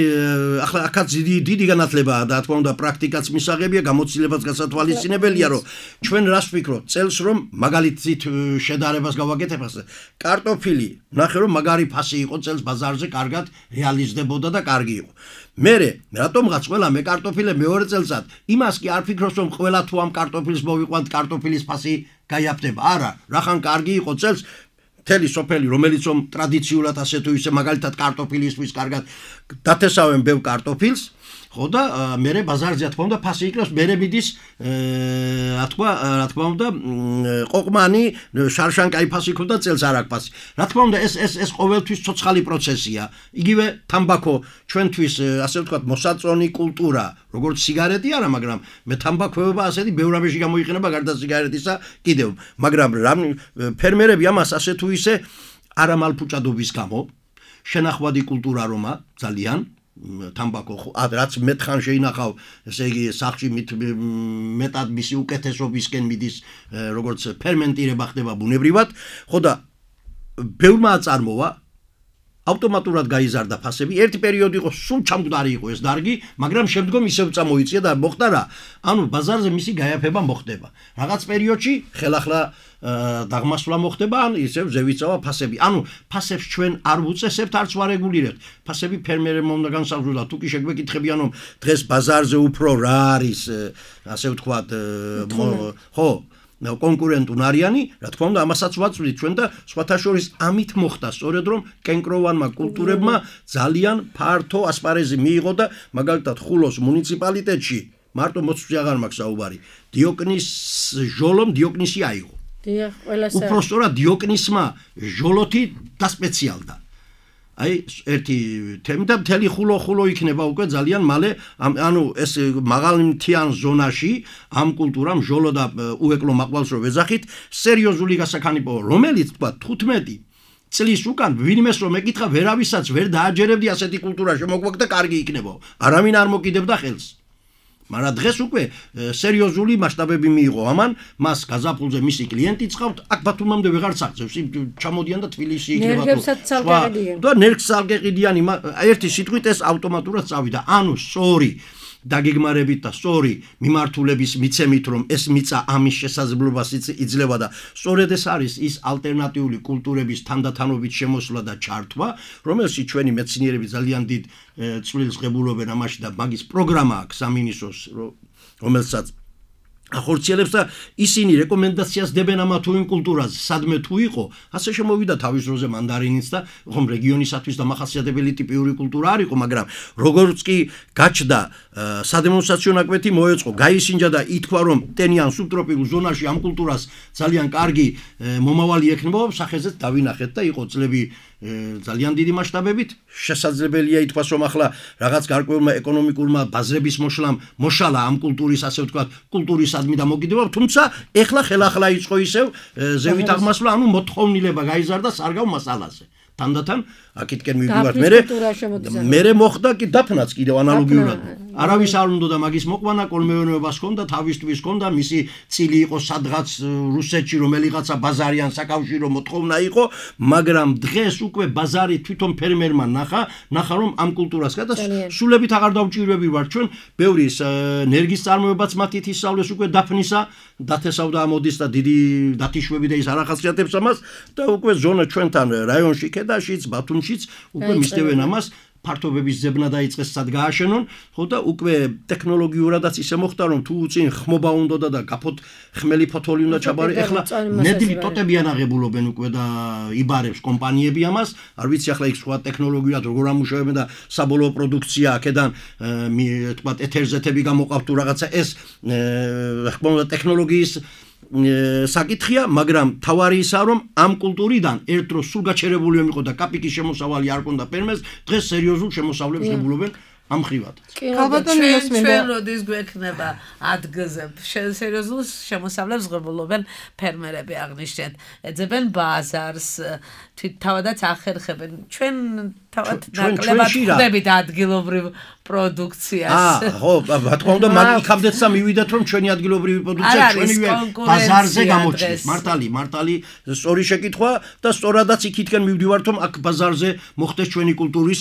ახლა აქაც დიდი განათლებაა და თქმა უნდა პრაქტიკაც მისაღებია, გამოცდილებაც გასათვალისწინებელია, რომ ჩვენ რას ვფიქრობთ წელს რომ მაგალითით შედარებას გავაკეთებ ასე კარტოფილი ნახე რომ მაგარი ფასი იყო წელს ბაზარზე კარგად რეალიზდებოდა და კარგი იყო. მერე რატომღაც ყველა მე კარტოფილე მეორე წელსაც იმას კი არ ფიქრობს რომ ყველა თუ ამ კარტოფილს მოვიყვანთ კარტოფილის ფასი გაიაფდება. არა, რახან კარგი იყო წელს მთელი სოფელი, რომელიც ტრადიციულად ასე თუ ისე მაგალითად კარტოფილისთვის კარგად დათესავენ ბევრ კარტოფილს, ხო და მერე ბაზარზე რა თქმა უნდა ფასი იქნებს, მერე მიდის რა თქმა უნდა ყოყმანი შარშან კაი ფასი ქონდა წელს არ აქვს ფასი. რა თქმა უნდა ეს ყოველთვის ცოცხალი პროცესია. იგივე თამბაქო ჩვენთვის ასე ვთქვათ მოსაწონი კულტურა, როგორც სიგარეტი არა, მაგრამ მე თამბაქოება ასეთი ბევრ რამეში გამოიყენება გარდა სიგარეტისა კიდევ, მაგრამ ფერმერები ამას ასე თუ ისე არამალფუჭადობის გამო შენახვადი კულტურა რომა ძალიან თამბაქო რაც მეთხან შეინახავ, ესე იგი სახში მეტად მისი უკეთესობისკენ მიდის, როგორც ფერმენტირება ხდება ბუნებრივად, ხო და ბევრმა აწარმოა ავტომატურად გაიზარდა ფასები. ერთი პერიოდი იყო სულ ჩამგვდარი იყო ეს დარგი, მაგრამ შემდგომ ისევ წამოიწია და მოხდა რა? ანუ ბაზარზე მისი გაიაფება მოხდება. რაღაც პერიოდში ხელახლა დაღმასვლა მოხდება, ან ისევ ზევიწავა ფასები. ანუ ფასებს ჩვენ არ ვუწესებთ, არც ვარეგულირებთ. ფასები ფერმერებმა უნდა განსაზღვროს და თუ კი შეგვეკითხებიან, რომ დღეს ბაზარზე უფრო რა არის, ასე ვთქვათ, ხო კონკურენტუნ არიანი, რა თქმა უნდა ამასაც ვაწვდით ჩვენ და სხვათა შორის ამით მოხდა სწორედ რომ კენკროვანმა კულტურებმა ძალიან ფართო ასპარეზი მიიღო და მაგალითად ხულოს მუნიციპალიტეტში მარტო მოწვევი აღარ მაქვს საუბარი, დიოკნის ჟოლომ დიოკნისი აიღო. დიახ, ყველასა. უпростоრად დიოკნისმა ჟოლოთი დასპეციალდა. აი ერთი თემი და მთელი ხულო იქნება უკვე ძალიან მალე, ანუ ეს მაღალმთიან ზონაში ამ კულტურამ ჟოლო და უეკლო მაყვალს რო ვეძახით, სერიოზული გასაქანიპო, რომელიც თქვა 15 წლის უკან ვინმეს რომ ეკითხა ვერავისაც ვერ დააჯერებდი ასეთი კულტურა შემოგვაქვს და კარგი იქნება. არავინ არ მოკიდებდა ხელს. მაგრამ დღეს უკვე სერიოზული მასშტაბები მიიღო ამან, მას გაზაფხულზე მისი კლიენტი წავთ, აქ ბათუმამდე ვეღარც აღწევს, ჩამოდიან და თბილისში იქნება და ნერგს ალგეყიდიან, ერთი სიტყვით ეს ავტომატურად წავიდა. ანუ სწორი დაგეგმარებით და სწორი მიმართულების მიცემით, რომ ეს მიწა ამის შესაძლებლობას იძლევა და სწორედ ეს არის ის ალტერნატიული კულტურების თანდათანობით შემოსვლა და ჩართვა, რომელშიც ჩვენი მეცნიერები ძალიან დიდ წვლილს ღებულობენ ამაში და მაგის პროგრამა აქვს სამინისტროს, რომელსაც ახორციელებს და ისინი რეკომენდაციას დებენ ამა თუ იმ კულტურაზე, სადმე თუ იყო, ასე შემოვიდა თავის დროზე მანდარინიც და ხომ რეგიონისათვის დამახასიათებელი ტიპიური კულტურა არ იყო, მაგრამ როგორც კი გაჩნდა სადემონსტრაციო ნაკვეთი მოეწყო, გაისინჯა და ითქვა რომ ტენიან სუბტროპიკულ ზონაში ამ კულტურას ძალიან კარგი მომავალი ექნება, სახეზეც დავინახეთ და იყო წლები ძალიან დიდი მასშტაბებით შესაძლებელია ითქვას რომ ახლა რაღაც გარკვეულმა ეკონომიკურმა ბაზრების მოშალა ამ კულტურის ასე ვთქვათ კულტურისადმი და მოგიდება თუმცა ეხლა ხელახლა იწყო ისევ ზევით აღმასვლა ანუ მოთხოვნილება გაიზარდა სარგავ მასალაზე თანდათან აქეთკენ მივიდივართ მე მოხდა კი დაფნაც კიდევ ანალოგიურად არავის არ უნდა და მაგის მოყვანა კოლმეურნეობას ჰქონდა თავისთვის ჰქონდა მისი წილი იყო სადღაც რუსეთში რომელიღაცა ბაზარი ან საკავშირო მოთხოვნა იყო მაგრამ დღეს უკვე ბაზარი თვითონ ფერმერმა ნახა რომ ამ კულტურას გადასულებით აღარ დავჭირვები ვარ ჩვენ ბევრი ენერგიის წარმოებაც მათით ისწავლეს უკვე დაფნისა დათესავდა ამოდის და დიდი დათიშვები და ის არ ახასიათებს ამას და უკვე ზონა ჩვენთან რაიონში ქედაშიც ბათუმშიც უკვე მისდევენ ამას ფართობების ზებნა დაიწყეს სად გააშენონ ხო და უკვე ტექნოლოგიურადაც ისე მოხდა რომ თუ წინ ხმობა უნდა და გაფოთ ხმელი ფოთოლი უნდა ჩაბარე ეხლა ნედლი ტოტები ანაღებულობენ უკვე და იბარებს კომპანიები ამას არ ვიცი ახლა იქ სხვა ტექნოლოგიად როგორ ამუშავებენ და საბოლოო პროდუქცია აქედან თქვა ეთერზეთები გამოყავთ თუ რაღაცა ეს ხმობა ტექნოლოგიის საკითხია, მაგრამ თავარი ისაა რომ ამ კულტურიდან ერთ დროს სულ გაჩერებული იყო და კაპიკის შემოსავალი არ ქონდა ფერმერს, დღეს სერიოზულ შემოსავლებს ღებულობენ ამ ხრივად. ჩვენ როდის გვექნება ადგილზე სერიოზულ შემოსავლებს ღებულობენ ფერმერები აღნიშნეთ. ეძებენ ბაზარს, თავადაც ახერხებენ. ჩვენ თავად ნაკლებად ხვდებით ადგილობრივ პროდუქციას. ხო, რა თქმა უნდა, მაგ იქამდეცა მივიდათ რომ ჩვენი ადგილობრივი პროდუქცია ჩვენივე ბაზარზე გამოჩნდეს. მართალი, სწორი შეკითხვა და სწორადაც იქითკენ მივდივართ რომ აქ ბაზარზე მოხდეს ჩვენი კულტურის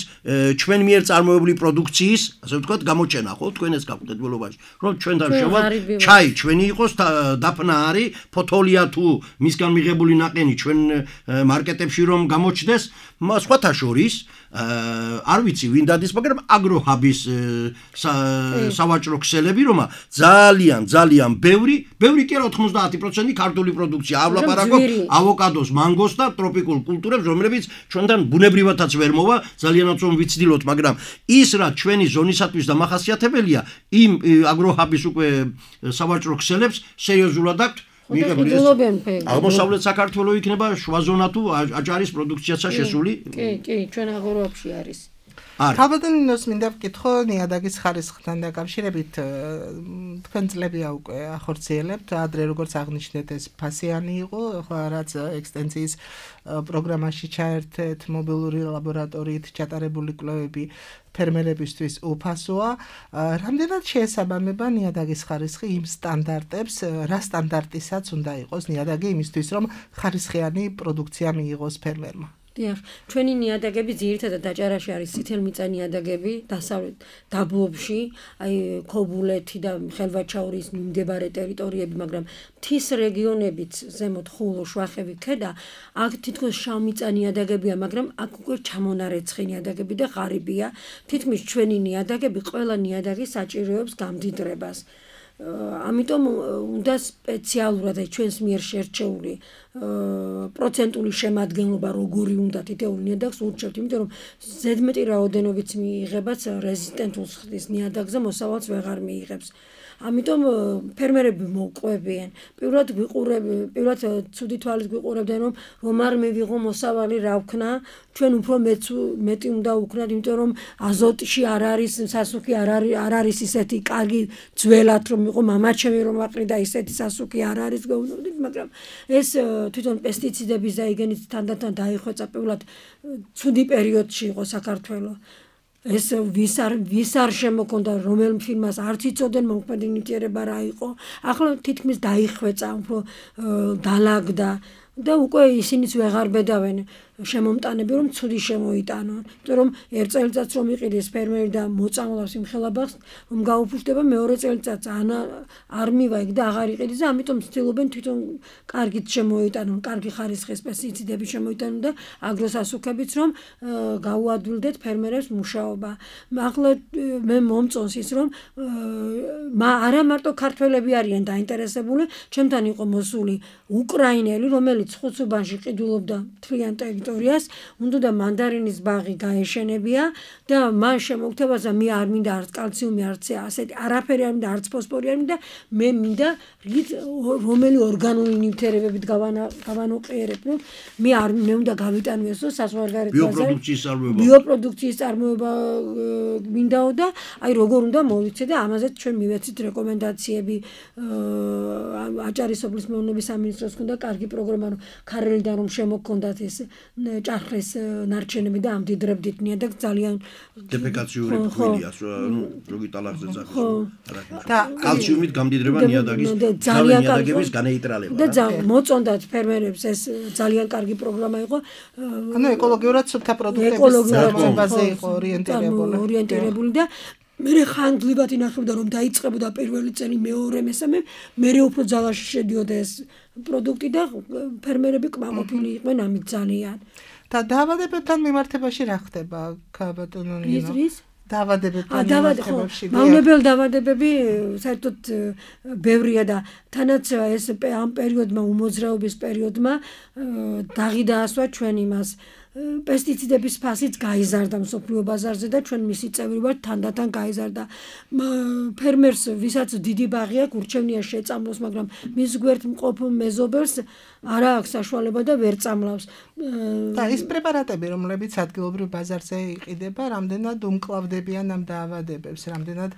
ჩვენ მიერ წარმოებული პროდუქციის, ასე ვთქვათ, გამოჩენა, ხო, თქვენ ეს გაქვთ დველობაში, რომ ჩვენთან შევალ ჩაი ჩვენი იყოს დაფნა არის, ფოთოლია თუ მისგან მიღებული ნაყენი ჩვენ მარკეტებში რომ გამოჩნდეს, სხვათა შორის არ ვიცი ვინ დადის, მაგრამ აგროჰაბის სავაჭრო ქსელები რომა ძალიან ბევრი კი არა 90% ქართული პროდუქცია ავლაპარაკობ ავოკადოს, მანგოს და ტროპიკულ კულტურებს, რომლებიც ჩვენთან ბუნებრივადაც ვერ მოვა, ძალიანაც რომ ვიცდილოთ, მაგრამ ის რა ჩვენი ზონისათვის დამახასიათებელია, იმ აგროჰაბის უკვე სავაჭრო ქსელებს სერიოზულად აქვთ აღმოსავლეთ საქართველო იქნება შუა ზონა თუ აჭარის პროდუქციაცა შესული? კი, ჩვენ აგროჰაბში არის. ქალბატონინოს მინდა ვკითხო ნიადაგის ხარისხთან დაკავშირებით თქვენ წლებია უკვე ახორციელებთ ადრე როგორც აღნიშნეთ ეს ფასიანი იყო ხო რაც ექსტენსიის პროგრამაში ჩაერთეთ მობილური ლაბორატორიით ჩატარებული კვლევები ფერმერებისთვის უფასოა რამდენად შეესაბამება ნიადაგის ხარისხი იმ სტანდარტებს რა სტანდარტისაც უნდა იყოს ნიადაგი იმისთვის რომ ხარისხიანი პროდუქცია მიიღოს ფერმერმა დიახ, ჩვენი ნიადაგები ძირითადად დაჭარაში არის წითელმიწა ნიადაგები, დასავლეთ დაბლობში, აი ქობულეთი და ხელვაჩაურის მიმდებარე ტერიტორიები, მაგრამ მთის რეგიონებიც ზემოთ ხულო, შვახევი ქედა, აქ თითქოს შავმიწა ნიადაგებია, მაგრამ აქ უკვე ჩამონარეცხი ნიადაგები და ღარიბია. თითქმის ჩვენი ნიადაგები ყველა ნიადაგი საჭიროებს გამდიდრებას. ამიტომ უნდა სპეციალურად ჩვენს მიერ შერჩეული პროცენტული შემადგენლობა როგორი უნდა თითოეულ ნიადაგს ურჩევთ, იმიტომ რომ ზედმეტი რაოდენობით მიიღებაც რეზისტენტულ სხდის ნიადაგზე მოსავალს ვეღარ მიიღებს. ამიტომ ფერმერები მოვყვებიან. პირველად ცუდი თვალით გვიყურებდნენ რომ არ მივიღო მოსავალი რა ვქნა, ჩვენ უფრო მეტი უნდა ვქნათ, იმიტომ რომ აზოტში არ არის სასუქი, არ არის ისეთი კარგი ძველად რომ იყო მამაჩემი რომ აყრიდა ისეთი სასუქი არ არის გვეუბნებოდით, მაგრამ ეს თვითონ პესტიციდების დაიგენით თანდათან დაიხვეწა პირველად ცუდი პერიოდში იყო საქართველოს. ეს ვის არ შემოქონდა რომელ ფილმას არც იცოდნენ მოქმედი ნივთიერება რა იყო ახლა თითქმის დაიხვეწა უფრო დალაგდა და უკვე ისინიც ვეღარ ბედავენ შემომტანები რომ ცუდი შემოიტანონ იმიტომ რომ ერთ წელიწადს რომ იყიდეს ფერმერი და მოწამლავს იმ ხელაბახს რომ გაუფუჭდება მეორე წელიწადს არ მივაიგ და აღარ იყიდეს და ამიტომ ცდილობენ თვითონ კარგით შემოიტანონ კარგი ხარისხის პესტიციდები შემოიტანონ და აგროსასუქებიც რომ გაუადვილდეთ ფერმერებს მუშაობა ახლა მე მომწონს ის რომ არა მარტო ქართველები არიან დაინტერესებული ჩემთან იყო მოსული უკრაინელი რომელიც რომელიც ხუცუბანში ყიდულობდა მთლიან ტერიტორიას, უნდა მანდარინის ბაღი გაეშენებია და მან შემოგთავაზა მე არ მინდა არც კალციუმი, არც ასეთი არაფერი არ მინდა, არც ფოსფორი არ მინდა, მე მინდა რომელი ორგანული ნივთიერებებით გავანოყიერებ, მე უნდა გავიტანვიოსო საზღვარგარეთ ბაზარი ბიოპროდუქციის წარმოება მინდაო და აი როგორ უნდა მოვიცე და ამაზე ჩვენ მივეცით რეკომენდაციები აჭარის სოფლის მეურნეობის სამინისტროს ქონდა კარგი პროგრამა რომ ქარელიდან რომ შემოქონდათ ეს ჭახრეს ნარჩენები და ამდიდრებდით ნიადაგს ძალიან დეფეკაციური ფქვილია როგი ტალახზე ძახის და კალციუმით გამდიდრება ნიადაგის ნიადაგების განეიტრალება და მოწონდათ ფერმერებს ეს ძალიან კარგი პროგრამა იყო ანუ ეკოლოგიურად სუფთა პროდუქტების წარმოებაზე იყო ორიენტირებული და მე ხანგრძლივად ინახებდა რომ დაიწყებოდა პირველი წელი მეორე მესამე მე უფრო ძალაში შედიოდა ეს პროდუქტი და ფერმერები კმაყოფილი იყვნენ ამით ძალიან და დაავადებებთან მიმართებაში რა ხდება ბატონო ნინო დაავადებებთან მიმართებაში მავნებელ დაავადებები საერთოდ ბევრია და თანაც ეს ამ პერიოდმა უმოძრაობის პერიოდმა დაღი დაასვა ჩვენ იმას პესტიციდების ფასიც გაიზარდა მსოფლიო ბაზარზე და ჩვენ მისი წევრი ვართ თანდათან გაიზარდა ფერმერს ვისაც დიდი ბაღი აქვს ურჩევნია შეწამლოს მაგრამ მის გვერდ მყოფ მეზობელს არა აქვს საშუალება და ვერ წამლავს და ის პრეპარატები რომლებიც ადგილობრივ ბაზარზე იყიდება რამდენად უმკლავდებიან ამ დაავადებებს რამდენად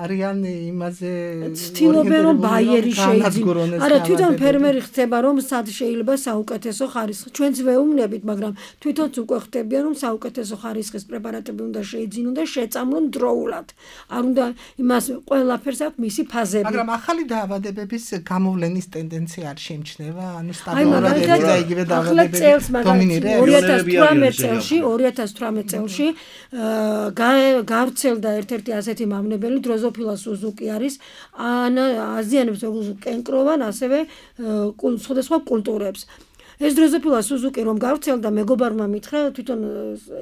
არიან იმაზე ცდილობენ რომ ბაიერი შეიძინოს არა თვითონ ფერმერი ხდება რომ სად შეიძლება საუკეთესო ხარისხი ჩვენც ვეუბნებით მაგრამ თვითონც უკვე ხდებიან რომ საუკეთესო ხარისხის პრეპარატები უნდა შეიძინონ და შეწამლონ დროულად. არ უნდა იმას ყველაფერს აქვს მისი ფაზები. მაგრამ ახალი დაავადებების გამოვლენის ტენდენცია არ შემჩნევა, ანუ სტაბილურად და იგივე დაავადებები დომინირებს. 2018 წელში გავრცელდა ერთ-ერთი ასეთი მავნებელი დროზოფილა სუზუკი არის აზიანებს როგორც კენკროვან ასევე სხვადასხვა კულტურებს. ეს დროზოფილა სუზუკი რომ გავრცელდა მეგობარმა მითხრა თვითონ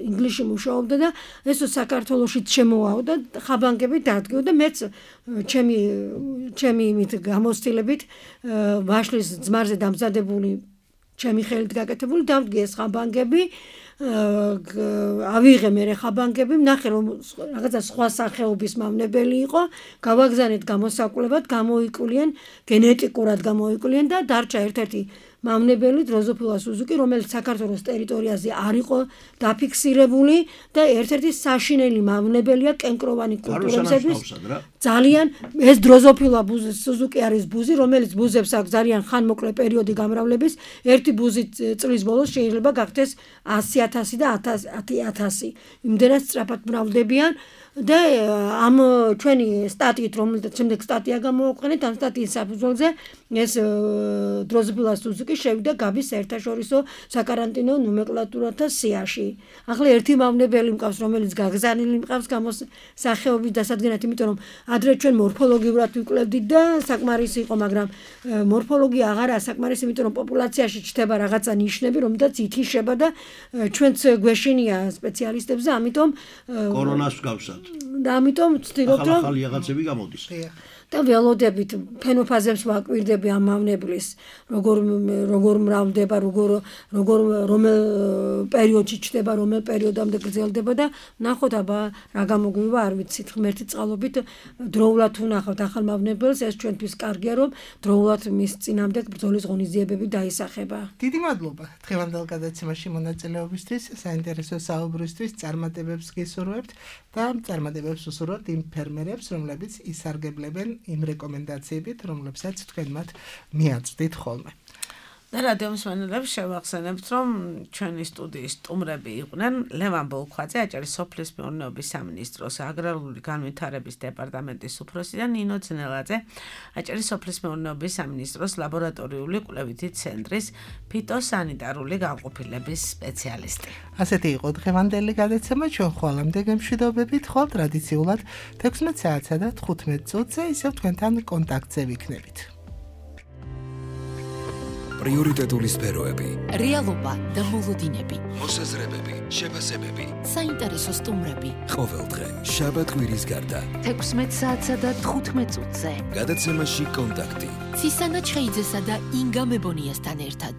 ინგლისში მუშაობდა და ეს საქართველოშიც შემოვაო და ხაბანგები დადგიო და მეც ჩემი იმით გამოცდილებით ვაშლის ძმარზე დამზადებული ჩემი ხელით გაკეთებული დავდგე ეს ხაბანგები ავიღე მე ხაბანგები ნახე რომ რაღაცა სხვა სახეობის მავნებელი იყო გავაგზავნეთ გამოსაკულებად გამოიკვლიან გენეტიკურად გამოიკვლიან და დარჩა ერთ-ერთი მავნებელი დროზოფილა სუზუკი რომელიც საქართველოს ტერიტორიაზე არ იყო დაფიქსირებული და ერთ-ერთი საშინელი მავნებელია კენკროვანი კულტურებისთვის ძალიან ეს დროზოფილა სუზუკი არის ბუზი რომელიც ბუზებს აქვს ძალიან ხანმოკლე პერიოდი გამრავლების ერთი ბუზი წლის ბოლოს შეიძლება გახდეს 100,000 და 10,000 იმდენად სწრაფად მრავლდებიან და ამ ჩვენი სტატიით რომელზეც შემდეგ სტატია გამოვაყენეთ ამ სტატიის საფუძველზე ეს დროზოფილა სუზუკი შევიდა გაბის საერთაშორისო საკარანტინო ნომენკლატურათა სიაში. ახლა ერთი მავნებელი მყავს რომელიც გაგზავნილი მყავს გამოსახეობის დასადგენად იმიტომ რომ ადრე ჩვენ მორფოლოგიურად ვიკვლევდით და საკმარისი იყო მაგრამ მორფოლოგია აღარაა საკმარისი იმიტომ რომ პოპულაციაში ჩნდება რაღაცა ნიშნები რომელთაც ითიშება და ჩვენც გვეშინია სპეციალისტებზე ამიტომ კორონას ვგავსათ და ამიტომ ვცდილობთ რომ ახალი რაღაცები გამოდის და ველოდებით ფენოფაზებს ვაკვირდები ამ მავნებლის როგორ მრავლდება რომელ პერიოდში ჩდება რომელ პერიოდამდე გრძელდება და ნახოთ აბა რა გამოგვივა არ ვიცით ღმერთის წყალობით დროულად ვნახავთ ახალ მავნებელს ეს ჩვენთვის კარგია რომ დროულად მის წინამდე ბრძოლის ღონისძიებები დაისახება. დიდი მადლობა დღევანდელ გადაცემაში მონაწილეობისთვის საინტერესო საუბრისთვის წარმატებებს გისურვებთ და წარმატებებს უსურვებთ იმ ფერმერებს რომლებიც ისარგებლებენ იმ რეკომენდაციებით, რომლებსაც თქვენ მათ მიაწვდით ხოლმე. და რადიო მსმენელებს შევახსენებთ, რომ ჩვენი სტუდიის სტუმრები იყვნენ ლევან ბოლქვაძე, აჭარის სოფლის მეურნეობის სამინისტროს აგრარული განვითარების დეპარტამენტის უფროსი და ნინო ძნელაძე, აჭარის სოფლის მეურნეობის სამინისტროს ლაბორატორიული კვლევითი ცენტრის ფიტოსანიტარული განყოფილების სპეციალისტი. ასეთი იყო დღევანდელი გადაცემა, ჩვენ ხვალამდე გემშვიდობებით, ხვალ ტრადიციულად 16 საათსა და 15 წუთზე ისევ თქვენთან კონტაქტზე ვიქნებით. პრიორიტეტული სფეროები, რეალობა და მოლოდინები, მოსაზრებები, შეფასებები, საინტერესო სტუმრები. ყოველდღე, შაბათ-კვირის გარდა, 16 საათსა და 15 წუთზე. გადაცემაში კონტაქტი. ცისანა ჩხეიძესა და ინგა მებონიასთან ერთად.